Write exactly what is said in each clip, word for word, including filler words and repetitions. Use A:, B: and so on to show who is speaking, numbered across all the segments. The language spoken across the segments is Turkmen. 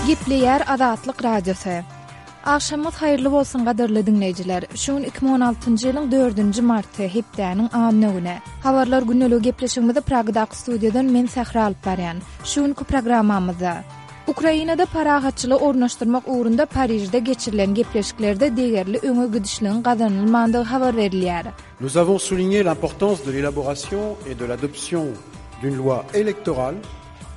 A: Gepleýär Azatlyk Radiosy. Agşamyňyz haýyrly bolsun gadyrly diňleýjiler. Şu gün iki müň on altynjy ýylyň dördünji marty, hepdäniň anna güni. Habarlar gündeligi gepleşigimizi Pragadaky studiýadan men Sähra alyp barýan. Şu günki programmamyzda Ukrainada parahatçylygy ornaşdyrmak ugrunda Parižde geçirilen gepleşiklerde degerli öňe gidişligiň gazanylmandygy habar berilýär.
B: Nous avons souligné l'importance de l'élaboration et de l'adoption d'une loi électorale.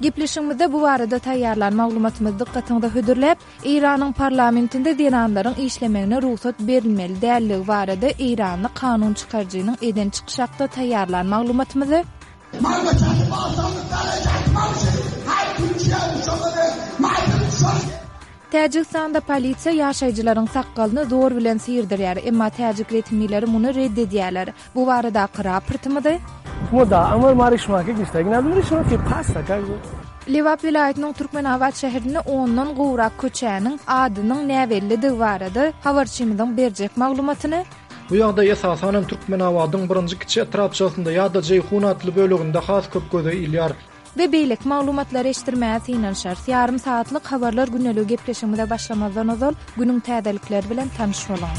A: Gepleşigimizde bu barada taýýarlan maglumatymyzy dykgatyňyza hödürläp, Eýranyň parlamentinde zenanlaryň işlemegine rugsat berilmeli dälligi barada eýranly kanun çykaryjynyň eden çykyşy hakda taýýarlan maglumatymyzy, Täjigistanda polisiýa ýaşaýjylaryň sakgalyny zor bilen syrdyrýar, emma täjik resmileri muny red edýärler. Bu baradaky raportymyzy. Lebap welaýatynyň Türkmenabat şäherinde ondan gowrak köçäniň adynyň näbellidigi barada habarçymyzyň berjek maglumatyny.
C: Bu ýagdaý esasanam Türkmenabadyň birinji kiçi etrapçasynda ýa-da Jeýhun atly böleginde has köp göze ilýär.
A: We beýleki maglumatlary eşitdirmäge synanyşarys. Ýarym sagatlyk Habarlar gündeligi gepleşigimize başlamazdan ozal, günüň täzelikleri bilen tanyş boluň.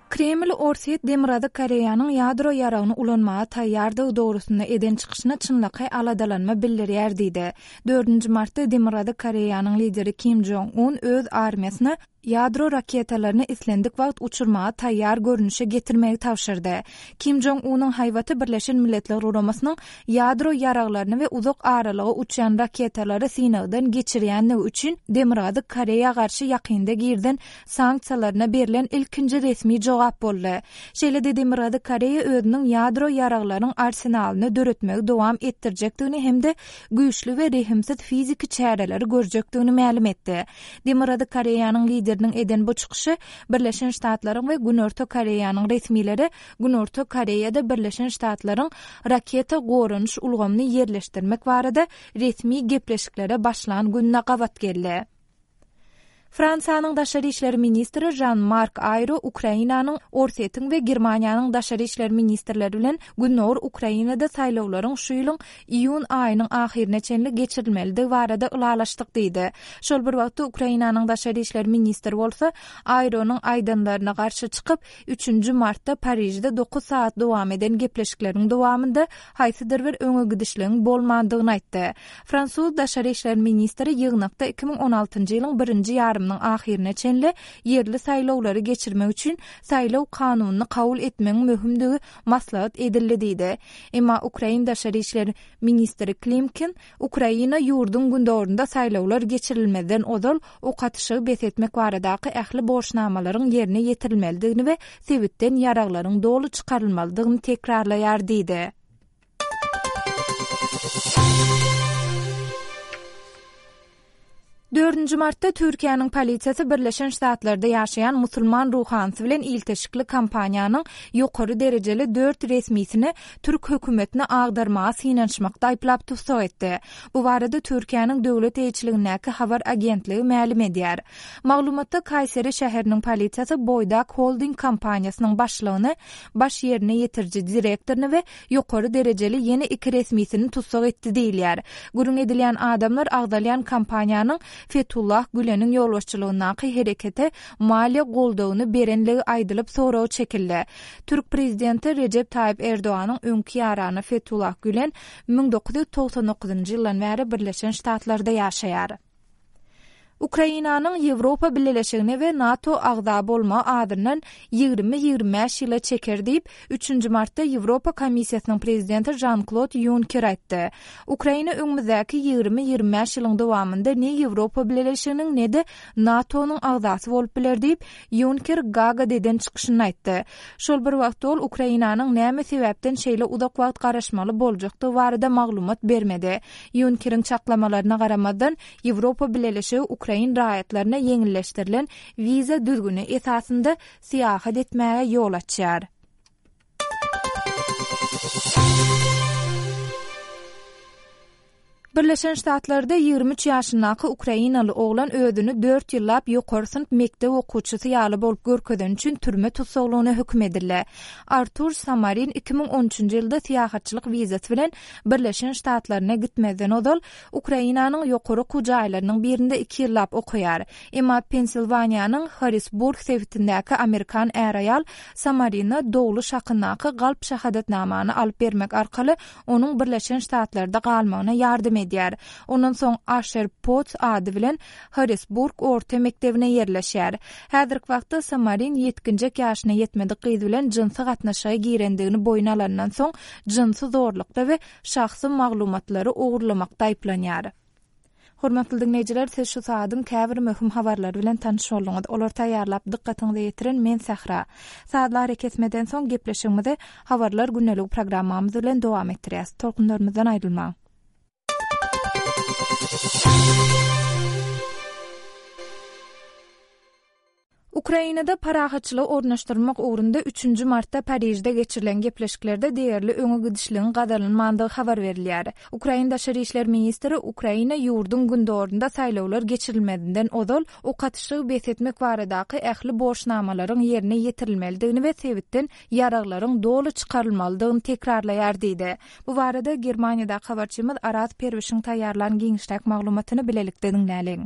A: Kreml Orsýet Demirgazyk Koreýanyň ýadro ýaragyny ulanmaga taýýardygy dogrusynda eden çykyşyna çynlakaý aladalanma bildirýär diýdi. Dördünji martda Demirgazyk Koreýanyň lideri Kim Jong Un öz armiýasyna ýadro raketalaryny islendik wagt uçurmaga taýýar görnüşe getirmegi tabşyrdy. Kim Jong Unyň haýbaty Birleşen Milletler Guramasynyň ýadro ýaraglaryny we uzak aralyga uçýan raketalary synagdan geçirýändigi üçin Demirgazyk Koreýa garşy ýakynda girizen sanksiýalaryna berlen ilkinji resmi jogap boldy. Şeýle-de Demirgazyk Koreýa özüniň ýadro ýaraglaryň arsenalyny döretmegi dowam etdirjekdigini hem-de güýçli we rehimsiz fiziki çäreleri görjekdigini mälim etdi. Demirgazyk Koreýanyň lideriniň eden bu çykyşy Birleşen Ştatlaryň we Günorta Koreýanyň resmileri Günorta Koreýada Birleşen Ştatlaryň raketa goranyş ulgamyny ýerleşdirmek barada resmi gepleşiklere başlan gününe gabat geldi. Fransiýanyň daşary işler ministri Žan-Mark Aýro Ukrainanyň, Orsýetiň we Germaniýanyň daşary işler ministrleri bilen Gündogar Ukrainada saýlawlaryň şu ýylyň iýun aýynyň ahyryna çenli geçirilmelidigi barada ylalaşdyk diýdi. Şol bir wagtda Ukrainanyň daşary işler ministri bolsa Aýronyň aýdanlaryna garşy çykyp, üçünji martda Parižde dokuz sagat dowam eden gepleşikleriň dowamynda haýsydyr bir öňe gidişligiň bolmandygyny aýtdy. Fransuz daşary işler ministri ýygnakda iki müň on altynjy ýylyň birinji ýarymynyň ahyryna çenli ýerli saýlawlary geçirmek üçin saýlaw kanunyny kabul etmegiň möhümdigi maslahat edildi diýdi. Emma ukrain daşary işler ministri Klimkin Ukraina ýurduň gündogarynda saýlawlar geçirilmezden ozal ok atyşygy bes etmek baradaky ähli borçnamalaryň ýerine ýetirilmelidigini we sebitden ýaraglaryň doly çykarylmalydygyny tekrarlaýar diýdi. Dördünji martda Türkiýäniň polisiýasy Birleşen Ştatlarda ýaşaýan musulman ruhanysy bilen ilteşikli kompaniýanyň ýokary derejeli dört resmisini türk hökümetine agdarmaga synanyşmakda aýyplap tussag etdi. Bu barada Türkiýäniň döwlet eýeçiligindäki habar agentligi mälim edýär. Maglumatda Kaýseri şäheriniň polisiýasy Boýdak Holding kompaniýasynyň başlygyny, baş ýerine ýetiriji direktoryny we ýokary derejeli ýene iki resmisini tussag etdi diýilýär. Gürrüň edilýän adamlar agzalýan kompaniýanyň Fethullah Güleniň ýolbaşçylygyndaky herekete maliýe goldawyny berenligi aýdylyp soraga çekildi. Türk prezidenti Rejep Taýyp Erdoganyň öňki ýarany Fethullah Gülen müň dokuz ýüz togsan dokuzynjy ýyldan bäri Birleşen Ştatlarda ýaşaýar. Ukrainanyň Ýewropa Bileleşigine we NATO agza bolmagy azyndan ýigrimi-ýigrimi bäş ýyla çeker diýip, üçünji martda Ýewropa Komissiýasynyň prezidenti Žan-Klod Ýunker aýtdy. Ukraina öňümizdäki ýigrimi-ýigrimi bäş ýylyň dowamynda ne Ýewropa Bileleşiginiň, ne-de NATO-nyň agzasy bolup biler diýip, Ýunker Gagada eden çykyşynda aýtdy. Şol bir wagtda ol Ukrainanyň näme sebäpden şeýle uzak wagt garaşmaly boljakdygy barada maglumat bermedi. Ýunkeriň çaklamalaryna garamazdan, Ýewropa Bileleşigi ukrain raýatlaryna ýeňilleşdirilen wiza düzgüni esasynda syýahat etmäge ýol açýar. Birleşen Ştatlarda ýigrimi üç ýaşyndaky ukrainaly oglan özüni dört ýyllap ýokary synp mekdep okuwçysy ýaly bolup görkezeni üçin türme tussaglygyna höküm edildi. Artur Samarin iki müň on üçünji ýylda syýahatçylyk wizasy bilen Birleşen Ştatlaryna gitmezden ozal Ukrainanyň ýokary okuw jaýlarynyň birinde iki ýyllap okaýar. Emma Pensilwaniýanyň Harrisburg sebitindäki amerikan är-aýal Samarina dogluş hakyndaky galp şahadatnamany alyp bermek arkaly onuň Birleşen Ştatlarda galmagyna ýardam edýär. Ondan soň Aşer Potts ady bilen Harrisburg orta mekdebine ýerleşýär. Häzirki wagtda Samarin ýetginjek ýaşyna ýetmedik gyz bilen jynsy gatnaşyga girendigini boýun alandan soň jynsy zorlukda we şahsy maglumatlary ogurlamakda aýyplanýar. Hormatly dinleýjiler, siz şu saadyň käbir möhüm habarlary bilen tanyş bolduňyz. Olar taýýarlap dykgatyňyza ýetiren men Sähra. Saatlar kesmeden soň gepleşigimizi Habarlar gündelik programmamyz bilen dowam etdirýäs. Tolkunlarymyzdan aýrylmaň. Ukrainada parahatçylygy ornaşdyrmak ugrunda üçünji martda Parižde geçirilen gepleşiklerde değerli öňe gidişligiň gazanylmandygy habar berilýär. Ukraina Daşary işler ministri Ukraina ýurduň gündorunda saýlawlar geçirilmezinden ozal ok atyşygy bes etmek baradaky ähli borçnamalaryň ýerine ýetirilmelidigini we sebitden ýaraglaryň doly çykarylmalydygyny tekrarlaýar diýdi. Bu barada Germaniýada habarçymyz Araz Perwişiň taýýarlan giňişräk maglumatyny bilelikde diňläliň.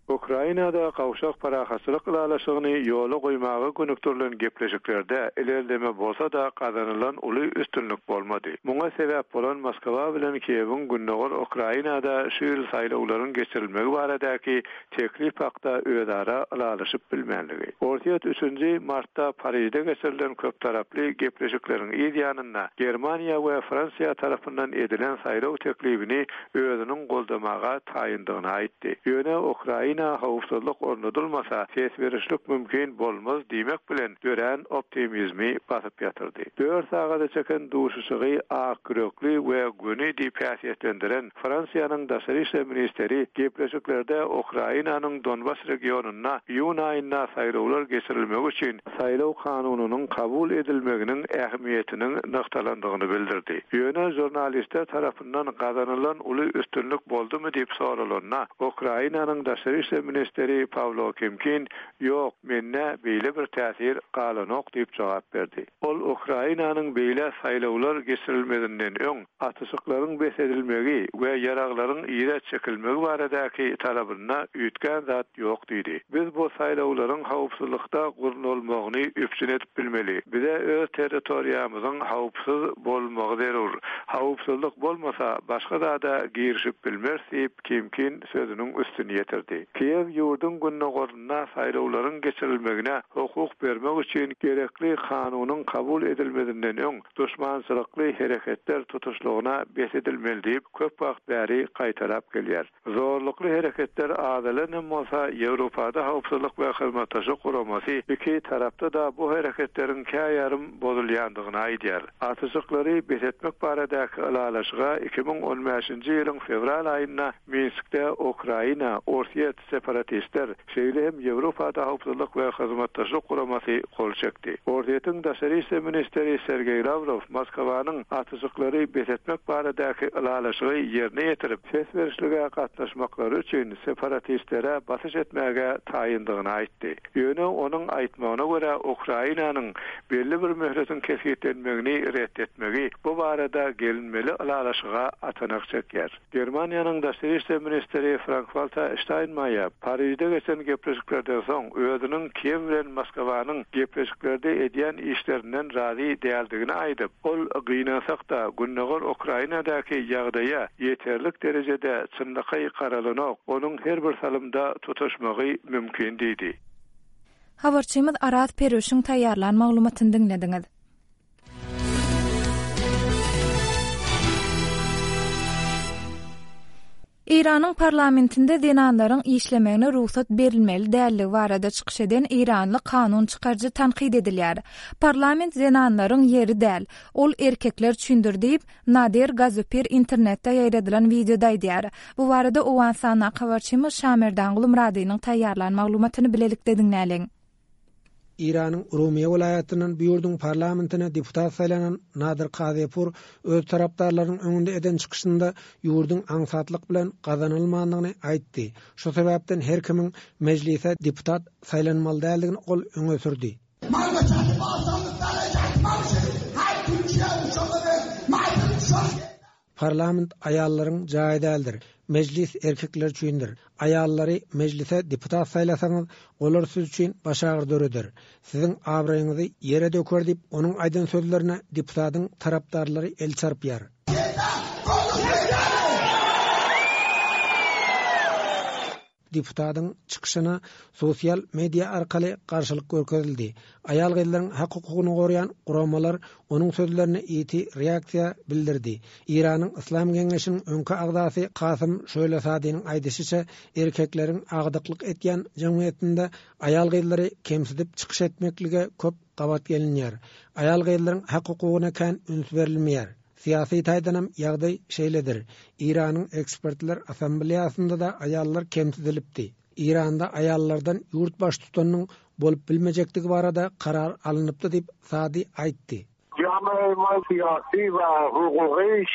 D: Ukrainada gawşak parahatçylyk ylalaşygyny ýola goýmaga gönükdirilen gepleşiklerde ilerleme bolsa-da gazanylan uly üstünlik bolmady. Muňa sebäp bolan Moskwa bilen Kiýewiň gündogar Ukrainada şu ýyl saýlawlaryň geçirilmegi baradaky teklip hakda özara ylalaşyp bilmänligi. Ortiýet üçünji martda Parijde geçirilen köp taraply gepleşikleriň yz ýanynda Germaniýa we Fransiýa tarapyndan edilen saýlaw teklibini özüniň goldamaga taýyndygyny aýtdy. Ýöne Ukraina howpsuzlyk ornadylmasa ses berişlik mümkin bolmaz diýmek bilen dörän optimizmi basyp ýatyrdy. Dört sagada çeken duşuşygy ak ýürekli we göni diýip häsiýetlendiren Fransiýanyň Daşary işler ministeri gepleşiklerde Ukrainanyň Donbas regionynda iýun aýynda saýlawlar geçirilmegi üçin saýlaw kanunynyň kabul edilmeginiň ähmiýetiniň nygtalandygyny bildirdi. Ýöne jurnalistler tarapyndan gazanylan uly üstünlik boldumy diýip soralanda Ukrainanyň Daşary işler ministeri Pawlo Kimkin ýok, mende beýle bir täsir galanok diýip jogap berdi. Ol Ukrainanyň beýle saýlawlar geçirilmezinden öň atyşyklaryň bes edilmegi we ýaraglaryň ýere çekilmegi baradaky talabynda üýtgän zat ýok diýdi. Biz bu saýlawlaryň howpsuzlykda gurnalmagyny üpjün edip bilmeli. Bize öz territoriýamyzyň howpsuz bolmagy zerur. Howpsuzlyk bolmasa başga zada girişip bilmez diýip Kimkin sözüniň üstüni ýetirdi. Kiýew ýurduň gündogarynda saýlawlaryň geçirilmegine hukuk bermek üçin gerekli kanunyň kabul edilmezinden öň duşmançylykly hereketler tutuşlygyna bes edilmeli diýip köp wagt bäri gaýtalap gelýär. Zorlukly hereketler azalan bolsa Ýewropada howpsuzlyk we hyzmatdaşlyk guramasy iki tarapda da bu hereketleriň käýarym bozulýandygyny aýdýar. Atyşyklary bes etmek baradaky ylalaşyga iki müň on beşinji ýylyň fewral aýynda Minskde Ukraina, Orsiýet separatistler, şeýle hem Ýewropada howpsuzlyk we hyzmatdaşlyk guramasy gol çekdi. Orsiýetiň Daşary işler ministri Sergeý Lawrow Moskwanyň atyşyklary bes etmek baradaky ylalaşygy ýerine ýetirip, ses berişlige gatnaşmaklary üçin separatistlere basyş etmäge taýyndygyny aýtdy. Ýöne onuň aýtmagyna görä Ukrainanyň belli bir möhletiň kesgitlenmegini ret etmegi bu barada gelinmeli ylalaşyga atanak çekýär. Germaniýanyň Daşary işler ministri Frank-Walter Steinmeier Parijde geçen gepleşiklerden soň özüniň Kiýew bilen Moskwanyň gepleşiklerde edýän işlerinden razy däldigini aýdyp, ol gynansak-da gündogar Ukrainadaky ýagdaýa ýeterlik derejede çynlakaý garalanok, onuň her bir salymda tutuşmagy mümkin diýdi.
A: Habarçymyz Araz Perwişiň taýýarlan maglumatyny diňlediňiz. Eýranyň parlamentinde zenanlaryň işlemegine rugsat berilmeli dälligi barada çykyş eden Eýranly kanun çykaryjy tankyt edilýär. Parlament zenanlaryň ýeri däl, ol erkekler üçindir diýip Nadir Gazupir internetde ýaýradylan wideoda aýdýar. Bu barada Owganystanda habarçymyz Şamerdan Gulmuradynyň taýýarlan maglumatyny bilelikde diňläliň.
E: Eýranyň Urumiýe welaýatyndan bu ýurduň parlamentine deputat saýlanan Nadir Kazepur öz tarapdarlarynyň öňünde eden çykyşynda ýurduň aňsatlyk bilen gazanylmandygyny aýtdy. Şu sebäpden her kimiň mejlise deputat saýlanmaly däldigini ol öňe sürdi. Parlament aýallaryň jaýy däldir. Mejlis erkekler üçindir. Aýallary mejlise deputat saýlasaňyz, olar siz üçin başagyr döreder. Siziň abraýyňyzy ýere döker diýip, onuň aýdan sözlerine deputatyň tarapdarlary el çarpýar. Deputatyň çykyşyna sosial media arkaly garşylyk görkezildi. Aýal-gyzlaryň hak-hukugyny goraýan guramalar onuň sözlerine ýiti reaksiýa bildirdi. Eýranyň Yslam Geňeşiniň öňki agzasy Kasym Şölesadiniň aýdyşyça, erkekleriň agdyklyk etýän jemgyýetinde aýal-gyzlary kemsidip çykyş etmeklige köp gabat gelinýär. Aýal-gyzlaryň hak-hukugyna kän üns berilmeýär. Syýasy taýdanam ýagdaý şeýledir. Eýranyň ekspertler assambleýasynda-da aýallar kemsidilipdi. Eýranda aýallardan ýurt baştutanynyň bolup bilmejekdigi barada karar alnypdy diýip Sadi aýtdy.
F: جامعه ما سیاسی و حقوقیش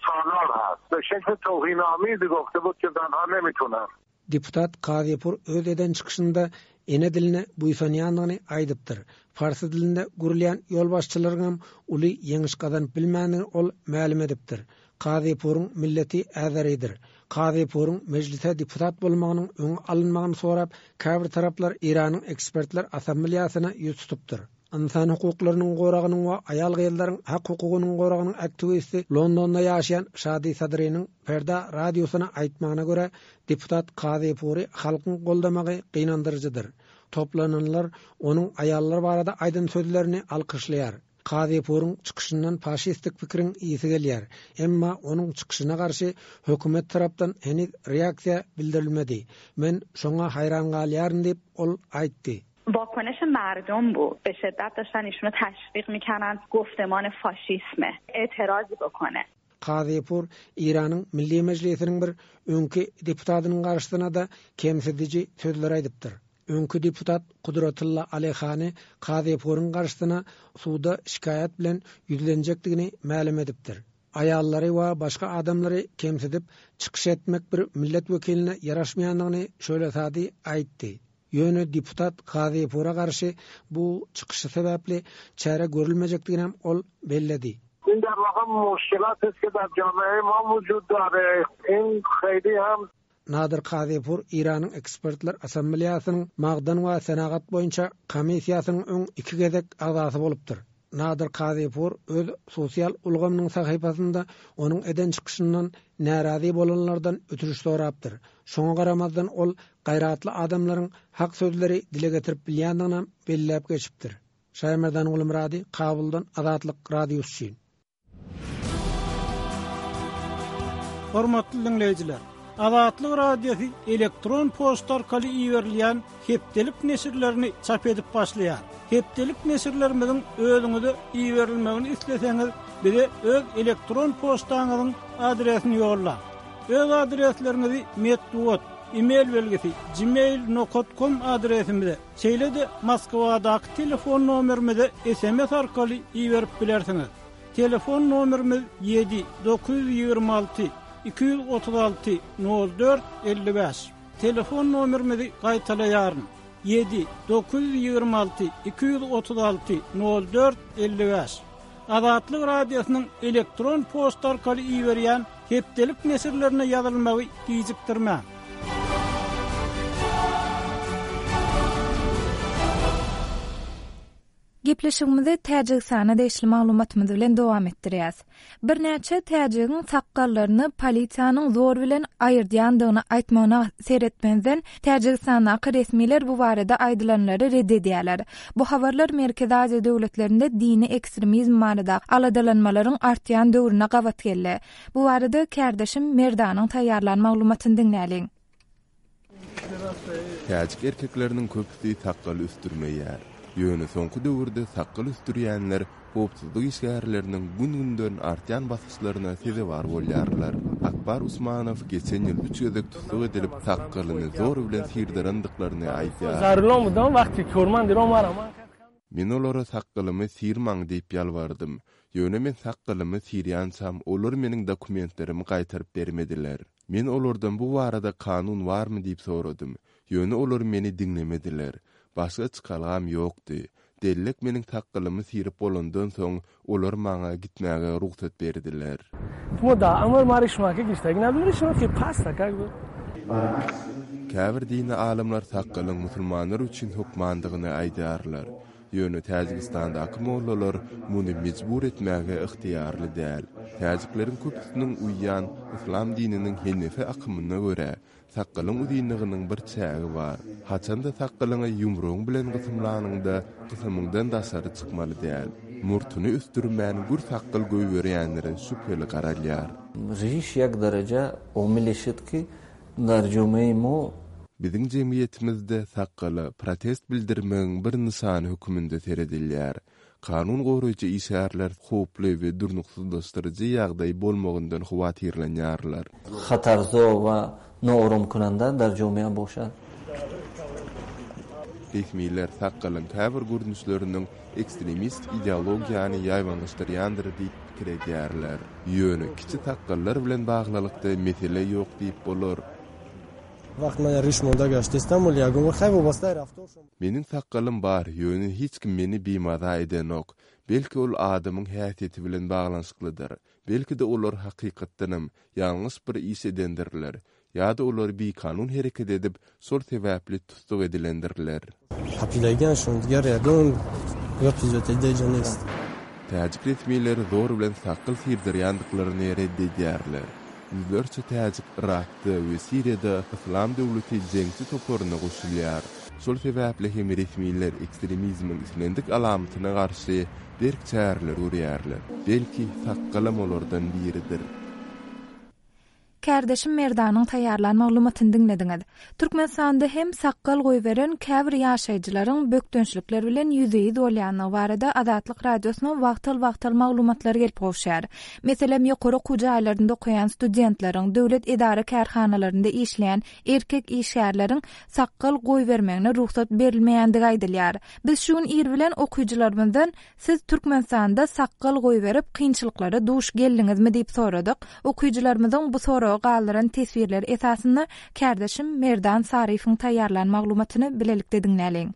F: سالار هست. به شکل توهین‌آمیزی گفته بود که زنها نمیتونن.
E: Deputat Kazipur öz eden çykyşynda ene diline buýsanýandygyny aýdypdyr. Farsy dilinde gurulýan ýolbaşçylaryň uly ýeňiş gazanyp bilmändigini ol mälim edipdir. Kazipuryň milleti Azeridir. Kazipuryň mejlise deputat bolmagynyň öňi alynmagyny sorap, käbir taraplar Eýranyň ekspertler assambleýasyna ýüz tutupdyr. Ynsan hukuklarynyň goragynyň we aýal-gyzlaryň hak hukugynyň goragynyň aktiwisti Londonda ýaşaýan Şadi Sadriniň Ferda radiosyna aýtmagyna görä, deputat Kazipury halkyň goldamagy gynandyryjydyr. Toplananlar onuň aýallar barada aýdan sözlerini alkyşlaýar. Kazipuryň çykyşyndan faşistik pikiriň ýesi gelýär. Emma onuň çykyşyna garşy hökümet tarapdan heniz reaksiýa bildirilmedi. Men şoňa haýran galýaryn diýip ol aýtdy.
G: واکنش مردم بود. به شدت داشتن ایشونو تشویق میکنن گفتمان فاشیسمه اعتراضی بکنه.
E: Kazipur Eýranyň Milli Mejlisiniň bir öňki deputatynyň garşysyna da kemsidiji sözler aýdypdyr. Öňki deputat Kudratullah Alihani Kazipuryň garşysyna suda şikaýat bilen ýüzlenjekdigini mälim edipdir. Aýallary we başga adamlary kemsidip çykyş etmek bir millet wekiline ýaraşmaýandygyny şöyle sady aýtdy. Ýöne deputat Kazipura garşy bu çykyşy sebäpli çäre görülmejekdigini hem ol belledi.
F: این در واقع مشکلات است که در جامعه ما وجود داره. این خیلی هم
E: Nadir Kazipur Eýranyň ekspertler assambleýasynyň magdan we senagat boýunça komissiýasynyň öň iki gezek agzasy bolupdyr. Nadir Kazipur öz sosial ulgamynyň sahypasynda onuň eden çykyşyndan närazy bolanlardan ötürüş sorapdyr. Şoňa garamazdan ol gaýratly adamlaryň hak sözleri dile getirip bilýändigini belläp geçipdir. Şaýmerdan Gulmurady, Kabuldan Azatlyk Radiosy üçin.
H: Hormatly dinleýjiler, Azatlyk Radiosy elektron poçta arkaly iberilýän hepdelik neşirlerini çap edip başlaýar. Hepdelik neşirlerimiziň özüňize iberilmegini isleseňiz, bize öz elektron poçtaňyzyň adresini ýollaň. Öz adresleriňizi metbugat, e-mail belgisi gmail nokta com adresimize, şeýle-de Moskwadaky telefon nomerimize S M S arkaly iberip bilersiňiz. Telefon nomerimiz ýedi dokuz ýüz ýigrimi alty iki ýüz otuz alty nol dört elli bäş. Telefon nomerimizi gaýtalaýaryn. Ýedi dokuz ýüz ýigrimi alty iki ýüz otuz alty nol dört elli bäş. Azatlyk Radiosynyň elektron poçta arkaly iberýän hepdelik neşirlerine ýazylmagy gijikdirmäň.
A: Gepleşigimizi Täjigistana degişli maglumatymyz bilen dowam etdirýäs. Birnäçe täjigiň sakgallaryny polisiýanyň zor bilen aýyrdýandygyny aýtmagyna seretmezden Täjigistandaky resmiler bu barada aýdylanlary red edýärler. Bu habarlar Merkezi Aziýa döwletlerinde dini ekstremizm barada aladalanmalaryň artýan döwrüne gabat geldi. Bu barada kärdeşim Merdanyň taýýarlan maglumatyny diňläliň.
I: Täjik erkekleriniň köpüsi sakgal ösdürmeýär. Ýöne soňky döwürde sakgal ösdürýänler howpsuzlyk işgärleriniň gün-günden artýan basyşlaryna sezewar bolýarlar. Akbar Usmanow geçen ýyl üç gezek tussag edilip sakgalyny zor bilen sirdirendiklaryny aýdýar.
J: Zarulon budam waqti korman dirom var aman.
I: Men olara sakgalymy syrmaň diýip ýalbardym. Ýöne men sakgalymy syrýançam, olar meniň dokumentlerimi gaýtaryp bermediler. Men olardan bu barada kanun barmy diýip soradym. Ýöne olar meni diňlemediler. Başga çykalgam ýokdy. Dellek meniň sakgalymy syryp bolandan soň, olar maňa gitmäge rugsat berdiler. Käbir dini alymlar sakgalyň musulmanlar üçin hökmandygyny aýdýarlar. Ýöne Täjigistandaky mollalar muny mejbur etmäge ygtyýarly däl. Täjikleriň köpüsiniň uýýan yslam dininiň henefi akymyna görä, sakgalyň uzynlygynyň bir çägi bar. Haçan-da sakgalyňy ýumrugyň bilen gysymlanyňda, gysymyňdan daşary çykmaly däl. Murtuny ösdürmän gür sakgal goýberýänlere şübheli garalýar.
J: Riş ýek dereje omili şit ki dar jomeýi mo.
I: Biziň jemgyýetimizde sakgala protest bildirmegiň bir nyşany höküminde seredilýär. Kanun goraýjy işgärler howply we durnuksyzlaşdyryjy ýagdaý bolmagyndan howatyrlanýarlar.
J: Hatarzo we nooromkunanda dar jomeýa boşad.
I: Resmiler sakgalyň käbir görnüşleriniň ekstremistik ideologiýany ýaýbaňlaşdyrýandyr diýip pikir edýärler. Ýöne kiçi sakgallar bilen baglylykda mesele ýok diýip bolar. Meniň sakgalym bar, ýöne hiç kim meni bimaza edenok. Belki ol adamyň häsiýeti bilen baglanyşyklydyr. Belki-de olar hakykatdanam ýalňyş bir iş edendirler. Ýa-da olar bikanun hereket edip, şol sebäpli tussag edilendirler. Täjik resmileri zor bilen sakgal syrdyrýandyklaryny red edýärler. Ýüzlerçe täjik Yrakda we Siriýada Yslam döwleti jeňçi toparyna goşulýar. Şol sebäpli hem resmiler ekstremizmiň islendik alamatyna garşy berk çäreler görýärler. Belki, sakgalam olardan biridir.
A: Kärdeşim Merdanyň taýýarlan maglumatyny diňlediňiz. Türkmenistanda hem sakgal goýberen käbir ýaşaýjylaryň bökdençlikler bilen ýüzbe-ýüz bolýanlygy barada Azatlyk Radiosyna wagtal-wagtal maglumatlar gelip gowşýar. Meselem, ýokary okuw jaýlarynda okaýan studentleriň, döwlet edara kärhanalarynda işleýän erkek işgärleriň sakgal goýbermegine rugsat berilmeýändigi aýdylýar. Biz şu gün ir bilen okyjylarymyzdan siz Türkmenistanda sakgal goýberip kynçylyklara duş geldiňizmi diýip soradyk. Okyjylarymyzyň bu soragy galdyran teswirleri esasynda kärdeşim Merdan Saryýewiň taýýarlan maglumatyny bilelikde diňläliň.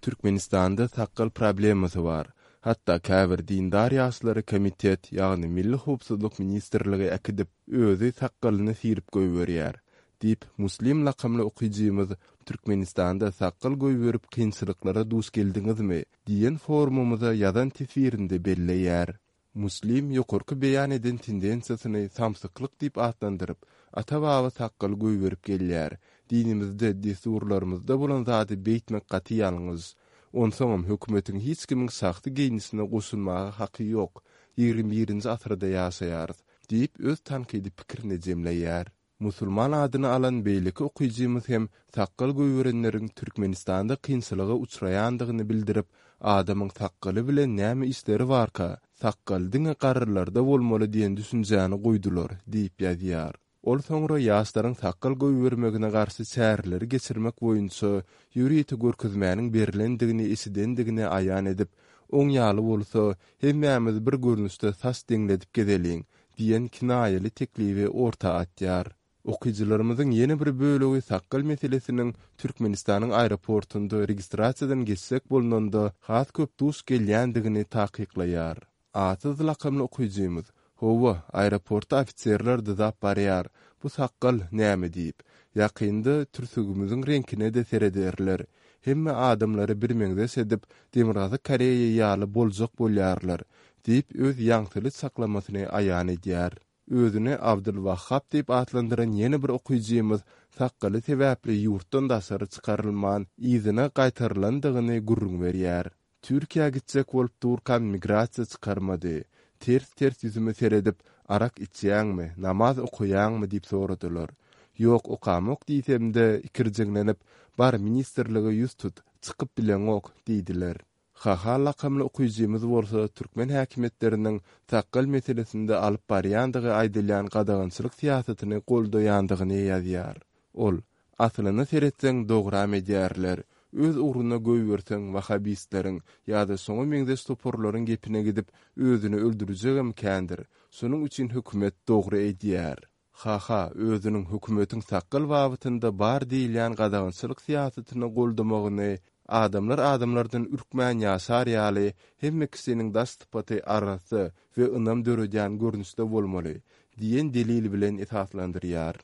I: Türkmenistanda sakgal problemasy bar. Hatda käbir dindar ýaşlary komitet, ýagny Milli howpsuzlyk ministrligi äkidip, özi sakgalyny syryp goýberýär. Diýip, Muslim lakamly okyjymyz Türkmenistanda sakgal goýberip kynçylyklara duş geldiňizmi diýen forumymyza ýazan teswirinde belleýär. Muslim ýokarky beýan eden tendensiýasyny samsyklyk diýip atlandyryp, ata-baba sakgal goýberip gelýär. Dinimizde, dessurlarymyzda bolan zady beýtmek gaty ýalňyş. Onsoňam hökümetiň hiç kimiň şahsy geýnişine goşulmaga haky ýok. Ýigrimi birinji asyrda ýaşaýarys diýip öz tankydy pikirini jemleýär. Musulman adyny alan beýleki okyjymyz hem sakgal goýberenleriň Türkmenistanda kynçylyga uçraýandygyny bildirip, adamyň sakgaly bilen näme işleri barka, sakgal diňe garrylarda bolmaly diýen düşünjäni goýdular diýip ýazýar. Ol soňra ýaşlaryň sakgal goýbermegine garşy çäreleri geçirmek boýunça ýörite görkezmäniň berlendigini eşidendigini aýan edip, oň ýaly bolsa hemmämiz bir görnüşde saç deňledip gezeliň diýen kinaýaly teklibi orta atýar. Okyjylarymyzyň ýene bir bölegi sakgal meselesiniň Türkmenistanyň aeroportunda registrasiýadan geçsek bolnanda has köp duş gelýändigini takyklaýar. Atsyz lakamly okyjymyz, Hawa, aeroportda ofiserler dyzap barýar, bu sakgal näme diýip, ýakynda türsügimiziň reňkine-de serederler. Hemme adamlary birmeňzeş edip, Demirgazyk Koreýa ýaly boljak bolýarlar, diýip öz ýaňsyly çaklamasyny aýan edýär. Özüni Abdylwahhab diýip atlandyran ýene bir okyjymyz sakgaly sebäpli ýurtdan daşary çykarylman, yzyna gaýtarylandygyny gürrüň berýär. Türkiýä gitjek bolup durkam migrasiýa çykarmady. Ters-ters ýüzüme seredip, arak içýäňmi, namaz okaýaňmy diýip soradylar. Ýok, okamok diýsem-de ikirjiňlenip, bar ministrlige ýüz tut, çykyp bileňok diýdiler. Haha lakamly okyjymyz bolsa türkmen häkimiýetleriniň sakgal meselesinde alyp barýandygy aýdylýan gadagançylyk syýasatyny goldaýandygyny ýazýar. Ol, aslyna seretseň dogram edýärler. Öz ugruna goýberseň wahabistleriň ýa-da şoňa meňzeş toparlaryň gepine gidip özüni öldürjegem kändir. Şonuň üçin hökümet dogry edýär. H H özüniň hökümetiň sakgal babatynda bar diýilýän gadagançylyk syýasatyny goldamagyny adamlar adamlardan ürkmän ýaşar ýaly hemme kişiniň daş sypaty arassa we ynam döredýän görnüşde bolmaly diýen delil bilen esaslandyrýar.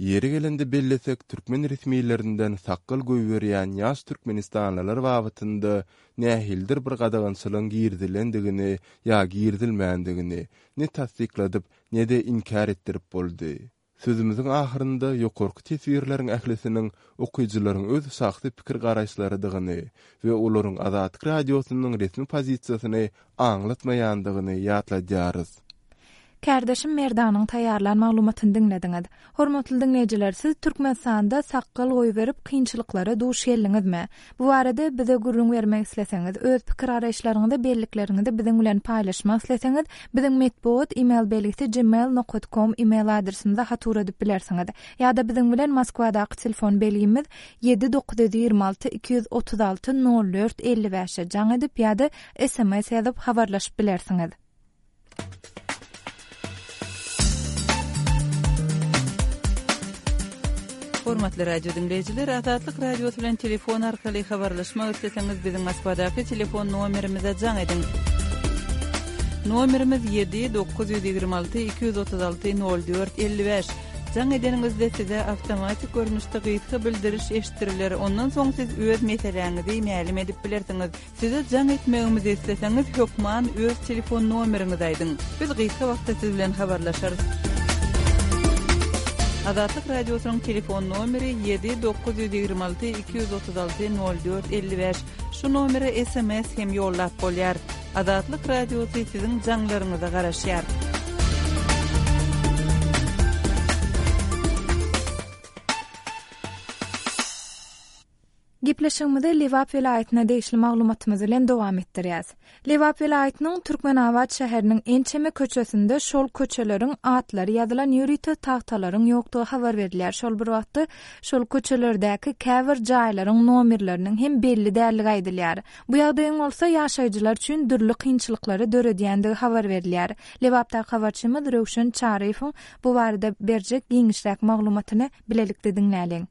I: Ýeri gelende bellesek, türkmen resmilerinden sakgal goýberýän ýaş türkmenistanlylar babatynda nähilidir bir gadagançylygyň girizilendigini ýa girizilmändigini ne tassykladyp, ne-de inkär etdirip boldy. Sözümiziň ahyrynda ýokarky teswirleriň ählisiniň okyjylaryň öz şahsy pikir-garaýyşlarydygyny we olaryň Azatlyk Radiosynyň resmi pozisiýasyny aňlatmaýandygyny ýatladýarys.
A: Kärdeşim Merdanyň taýýarlan maglumatyny diňlediňiz. Hormatly diňleýjiler, siz Türkmenistanda sakgal goýberip kynçylyklara duş geldiňizmi? Bu barada bize gürrüň bermek isleseňiz, öz pikir-garaýyşlaryňyzy, bellikleriňizi biziň bilen paýlaşmak isleseňiz, biziň metbugat e-mail belgisi gmail nokta com e-mail adresimize hat ugradyp bilersiňiz. Ýa-da biziň bilen Moskwadaky telefon belgimiz ýedi dokuz ýüz ýigrimi alty iki ýüz otuz alty nol dört elli bäşe jaň edip ýa-da S M S ýazyp habarlaşyp bilersiňiz.
K: Hormatly radio diňleýjiler, Azatlyk Radiosy bilen telefon arkaly habarlaşmak isleseňiz, biziň Moskwadaky telefon nomerimize jaň ediň. Nomerimiz ýedi dokuz ýüz ýigrimi alty iki ýüz otuz alty nol dört elli bäş. Jaň edeniňizde size awtomatik görnüşde gysga bildiriş eşitdiriler. Ondan soň siz öz meseläňizi mälim edip bilersiňiz. Size jaň etmegimizi isleseňiz, hökman öz telefon nomeriňizi aýdyň. Biz gysga wagtda siz bilen habarlaşarys. Azatlyk Radiosynyň telefon nomeri ýedi dokuz ýüz ýigrimi alty iki ýüz otuz alty nol dört elli bäş. Şu nomere S M S hem ýollap bolýar. Azatlyk Radiosy siziň jaňlaryňyza garaşýar.
A: Gepleşigimizi Lebap welaýatyna degişli maglumatymyz bilen dowam etdirýäs. Lebap welaýatynyň Türkmenabat şäheriniň ençeme köçesinde şol köçeleriň atlary ýazylan ýörite tagtalaryň ýokdugy habar berilýär. Şol bir wagtda şol köçelerdäki käbir jaýlaryň nomerleriniň hem belli dälligi aýdylýar. Bu ýagdaýyň bolsa ýaşaýjylar üçin dürli kynçylyklary döredýändigi habar berilýär. Lebapdaky habarçymyz Röwşen Çaryýewiň bu barada berjek giňişräk maglumatyny bilelikde diňläliň.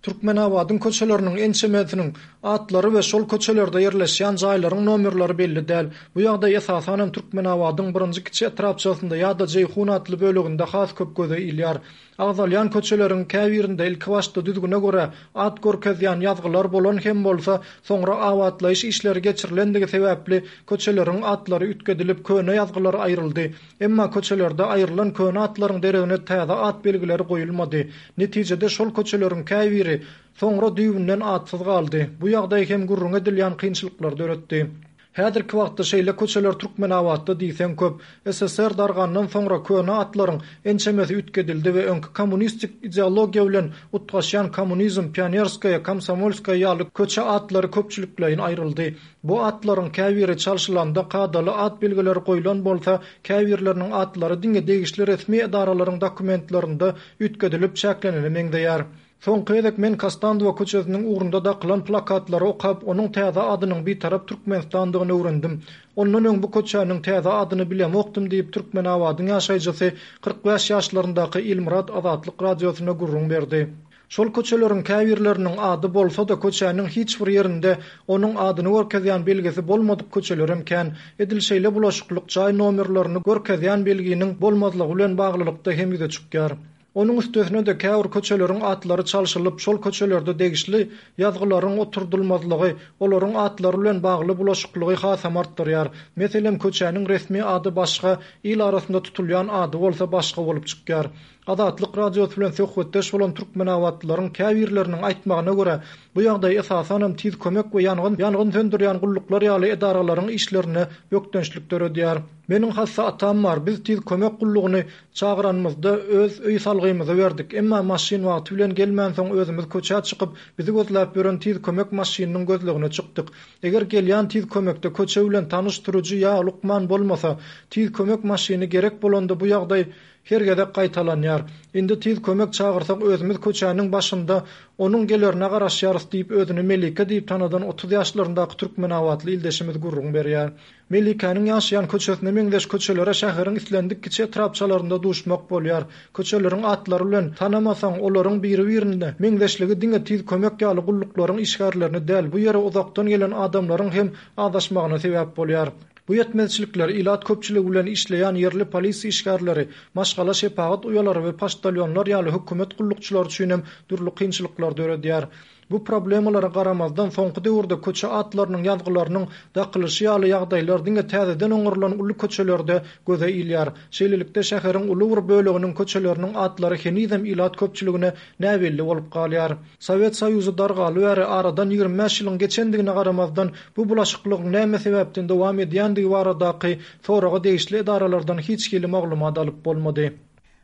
C: Türkmenabadyň köçeleriniň ençemesiniň atlary we şol köçelerde ýerleşýän jaýlaryň nomerleri belli däl. Bu ýagdaý esasanam Türkmenabadyň birinji kiçi etrapçasynda ýa-da Jeýhun atly böleginde has köp göze ilýär. Agzalýan köçeleriň käbirinde ilki başda düzgüne görä at görkezýän ýazgylar bolan hem bolsa, soňra abatlaýyş işleri geçirilendigi sebäpli köçeleriň atlary üýtgedilip köne ýazgylar aýryldy. Emma köçelerde aýrylan köne atlaryň deregine täze at belgileri goýulmady. Netijede şol köçeleriň käbiri soňra düýbünden atsyz galdy. Bu ýagdaý hem gürrüň edilýän kynçylyklar döretdi. Häzirki wagtda şeýle köçeler Türkmenabatda diýseň köp. S S S R dargandan soňra köne atlaryň ençemesi üýtgedildi we öňki kommunistik ideologiýa bilen utgaşýan kommunizm, pionerskaya, komsomolskaya ýaly köçe atlary köpçülikleýin aýryldy. Bu atlaryň käbiri çalşylanda kadaly at belgileri goýlan bolsa, käbirleriniň atlary diňe degişli resmi edaralaryň dokumentlerinde üýtgedilip çäklenene meňzeýär. Soňky gezek men Kostandowa köçesiniň ugrunda dakylan plakatlary okap, onuň täze adynyň Bitarap Türkmenistandygyny öwrendim. Ondan öň bu köçäniň täze adyny bilemokdym diýip Türkmenabadyň ýaşaýjysy kyrk bäş ýaşlaryndaky Ilmyrat Azatlyk Radiosyna gürrüň berdi. Şol köçeleriň käbirleriniň ady bolsa-da köçäniň hiç bir ýerinde onuň adyny görkezýän belgisi bolmadyk köçelerem kän. Edil şeýle bulaşyklyk jaý nomerlerini görkezýän belginiň bolmazlygy bilen baglylykda hem ýüze çykýar. Onuň üstesine de käbir köçeleriň atlary çalşylyp, şol köçelerde degişli ýazgylaryň oturdylmazlygy, olaryň atlary bilen bagly bulaşyklygy hasam artdyrýar. Meselem, köçäniň resmi ady başga, il arasynda tutulýan ady bolsa başga bolup çykýar. Azatlyk Radiosy bilen söhbetdeş bolan türkmenabatlylaryň käbirleriniň aýtmagyna görä, bu ýagdaý esasanam tiz kömek we ýangyn, ýangyn söndürýän gulluklar ýaly edaralaryň işlerine bökdençlik döredýär. Meniň hassa atam bar, biz tiz kömek gullugyny çagyranymyzda öz öý salgymyzy berdik. Emma maşyn wagty bilen gelmänsoň özümiz köçä çykyp, bizi gözläp ýören tiz kömek maşynynyň gözlegine çykdyk. Eger gelýän tiz kömekde köçe bilen tanyş sürüji ýa lukman bolmasa, tiz kömek maşyny gerek bolanda bu ýagdaý her gezek gaýtalanýar. Indi tiz kömek çagyrsak özümiz köçäniň başynda onuň gelerine garaşýarys diýip özüni Melike diýip tanadan otuz ýaşlaryndaky Türkmenabatly ildeşimiz gürrüň berýär. Melikäniň ýaşaýan köçesine meňzeş köçelere şäheriň islendik kiçi etrapçalarynda duşmak bolýar. Köçeleriň atlary bilen tanamasaň, olaryň biri-birine meňzeşligi diňe tiz kömek ýaly gulluklaryň işgärlerini däl, bu ýere uzakdan gelen adamlaryň hem adaşmagyna sebäp bolýar. Bu ýetmezçilikler ilat köpçüligi bilen işleýän ýerli polisiýa işgärleri, maşgala şepagat uýalary we poçtalyonlar ýaly hökümet gullukçylary üçin hem dürli kynçylyklar döredýär. Bu problemalara garamazdan soňky döwürde köçe atlarynyň ýazgylarynyň dakylyşy ýaly ýagdaýlar diňe täzeden oňarylan uly köçelerde göze ilýär. Şeýlelikde şäheriň uly bir böleginiň köçeleriniň atlary henizem ilat köpçüligine näbelli bolup galýar. Sowet Soýuzy dargaly bäri aradan ýigrimi bäş ýylyň geçendigine garamazdan bu bulaşyklygyň näme sebäpden dowam edýändigi baradaky soraga degişli edaralardan hiç hili maglumat alyp bolmady.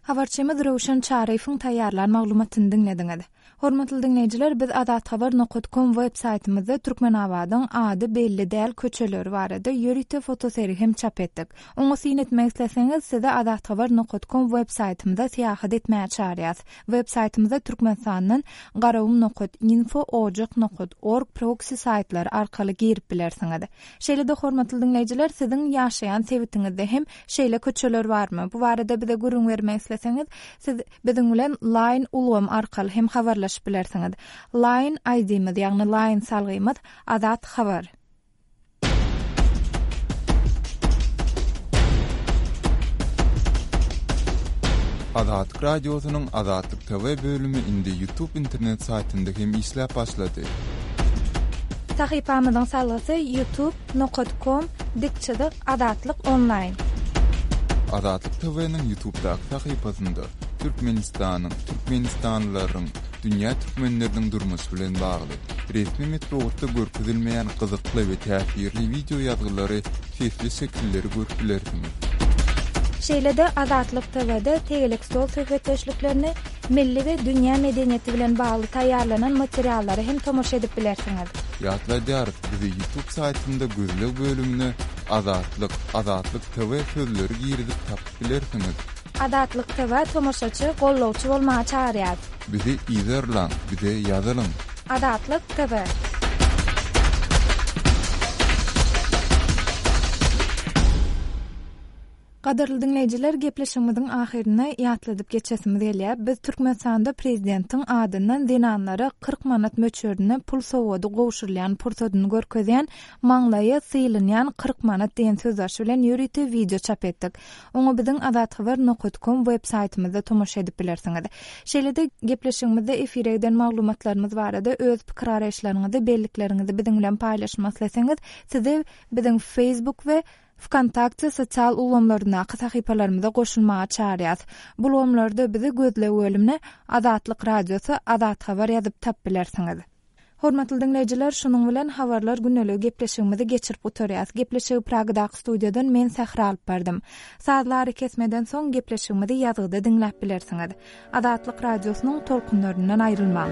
A: Habarçymyz Röwşen Çaryýewiň taýýarlan maglumatyny diňlediňiz. Hormatly diňleýjiler, biz azathabar nokta com web saýtymyzda Türkmenabadyň ady belli däl köçeleri barada ýörite fotoseri hem çap etdik. Oňa syn etmek isleseňiz, size azathabar nokta com web saýtymyzda syýahat etmäge çağırýarys. Web saýtymyzda Türkmenistandan garawum nokta info, ojak nokta org proxy saýtlary arkaly girip bilersiňiz. Şeýle-de hormatly diňleýjiler, siziň ýaşaýan sebitiňizde hem şeýle köçeler barmy? Bu barada bize gürrüň bermek isleseňiz, siz biziň bilen Line ulgamy arkaly hem habarlaşyp bilersiňiz. Line I D-miz, ýagny Line salgymyz Azat Habar.
I: Azatlyk Radiosynyň Azatlyk T V bölümi indi YouTube internet saýtynda hem işläp başlady.
A: Sahypamyzyň salgysy youtube nokta com dikçilik Azatlyk onlaýn.
I: Azatlyk T V-niň YouTube'daky sahypasynda Türkmenistanyň, Türkmenistanlylaryň, dünýä türkmenleriniň durmuşy bilen bagly resmi metbugatda görkezilmeýän gyzykly we täsirli video ýazgylary, sesli şekilleri görüp bilersiňiz.
A: Şeýle-de Azatlyk T V-de tegelek stol söhbetdeşliklerini milli we dünýä medeniýeti bilen bagly taýýarlanan materiallary hem tomaşa edip bilersiňiz.
I: Ýatladýarys, bizi YouTube saýtynda gözleg bölümine Azatlyk, Azatlyk T V sözleri girizip tapyp bilersiňiz.
A: Azatlyk T V tomaşaçy, gollawçy bolmaga çağırýar.
I: Bizi izerlaň, bize ýazylyň.
A: Azatlyk T V. Gadyrly diňleýjiler, gepleşigimiziň ahyryna ýatladyp geçesimiz gelýär. Biz Türkmenistanda prezidentiň adyndan zenanlara kyrk manat möçberinde pul sowgady gowşurylýan pursadyny görkezýän maňlaýa sylynýan kyrk manat diýen sözbaşy bilen ýörite video çap etdik. Oňa biziň azathabar nokta com web saýtymyzda tomaşa edip bilersiňiz. Şeýle-de gepleşigimizde efire giden maglumatlarymyz barada öz pikir araýyşlaryňyzy, bellikleriňizi biziň bilen paýlaşmak isleseňiz, sizi biziň Facebook we Vkontakte sosial ulgamlaryndaky sahypalarymyza goşulmaga çağırýarys. Bu ulgamlarda bizi gözleg bölümine Azatlyk Radiosy, Azat Habar ýazyp tap bilersiňiz. Hormatly diňleýjiler, şunuň bilen habarlar güneligi gepleşigimizi geçirip gutarýarys. Gepleşigi Pragadaky studiýadan men Sähra alyp bardym. Sazlary kesmeden soň gepleşigimizi ýazgyda diňläp bilersiňiz. Azatlyk Radiosynyň tolkunlaryndan aýrylmaň.